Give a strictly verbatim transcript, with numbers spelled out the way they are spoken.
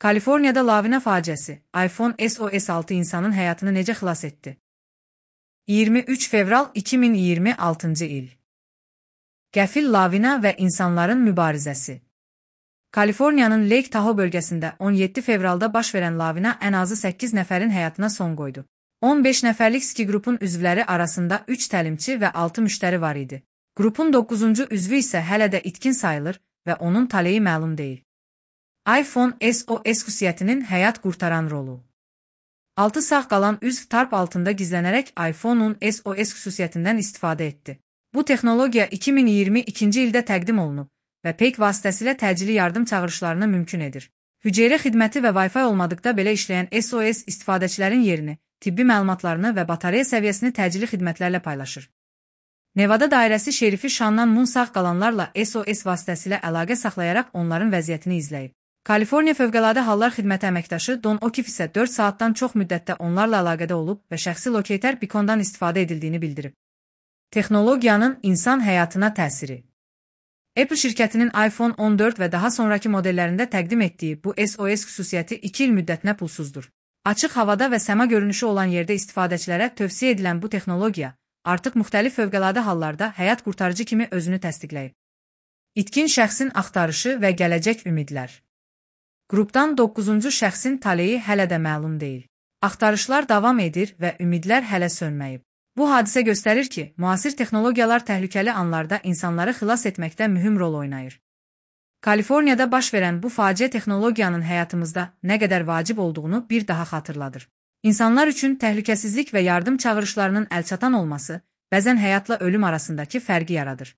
Kaliforniyada lavina faciəsi, iPhone S O S altı insanın həyatını necə xilas etdi? iyirmi üç fevral iki min iyirmi altıncı il. Qəfil lavina və insanların mübarizəsi. Kaliforniyanın Lake Tahoe bölgəsində on yeddi fevralda baş verən lavina ən azı səkkiz nəfərin həyatına son qoydu. on beş nəfərlik ski qrupun üzvləri arasında üç təlimçi və altı müştəri var idi. Qrupun doqquzuncu üzvü isə hələ də itkin sayılır və onun taleyi məlum deyil. iPhone S O S xüsusiyyətinin həyat qurtaran rolu. altı sağ qalan üzv tarp altında gizlənərək iPhone-un S O S xüsusiyyətindən istifadə etdi. Bu texnologiya iki min iyirmi ikinci ildə təqdim olunub və peyk vasitəsilə təcili yardım çağırışlarını mümkün edir. Hüceyrə xidməti və Wi-Fi olmadıqda belə işləyən S O S istifadəçilərin yerini, tibbi məlumatlarını və batareya səviyyəsini təcili xidmətlərlə paylaşır. Nevada dairəsi şerifi Shannon Moon sağ qalanlarla S O S vasitəsilə əlaqə saxlayaraq onların vəziyyətini izləyib. Kaliforniya Fövqəladə Hallar Xidməti əməkdaşı Don O'Keefe isə dörd saatdan çox müddətdə onlarla əlaqədə olub və şəxsi lokator beacondan istifadə edildiyini bildirib. Texnologiyanın insan həyatına təsiri. Apple şirkətinin iPhone on dörd və daha sonraki modellərində təqdim etdiyi bu S O S xüsusiyyəti iki il müddətinə pulsuzdur. Açıq havada və səma görünüşü olan yerdə istifadəçilərə tövsiyə edilən bu texnologiya artıq müxtəlif fövqəladə hallarda həyat qurtarıcı kimi özünü təsdiqləyib. İtkin şəxsin axtarışı və gələcək ümidlər. Qrupdan doqquzuncu şəxsin taleyi hələ də məlum deyil. Axtarışlar davam edir və ümidlər hələ sönməyib. Bu hadisə göstərir ki, müasir texnologiyalar təhlükəli anlarda insanları xilas etməkdə mühüm rol oynayır. Kaliforniyada baş verən bu faciə texnologiyanın həyatımızda nə qədər vacib olduğunu bir daha xatırladır. İnsanlar üçün təhlükəsizlik və yardım çağırışlarının əlçatan olması bəzən həyatla ölüm arasındakı fərqi yaradır.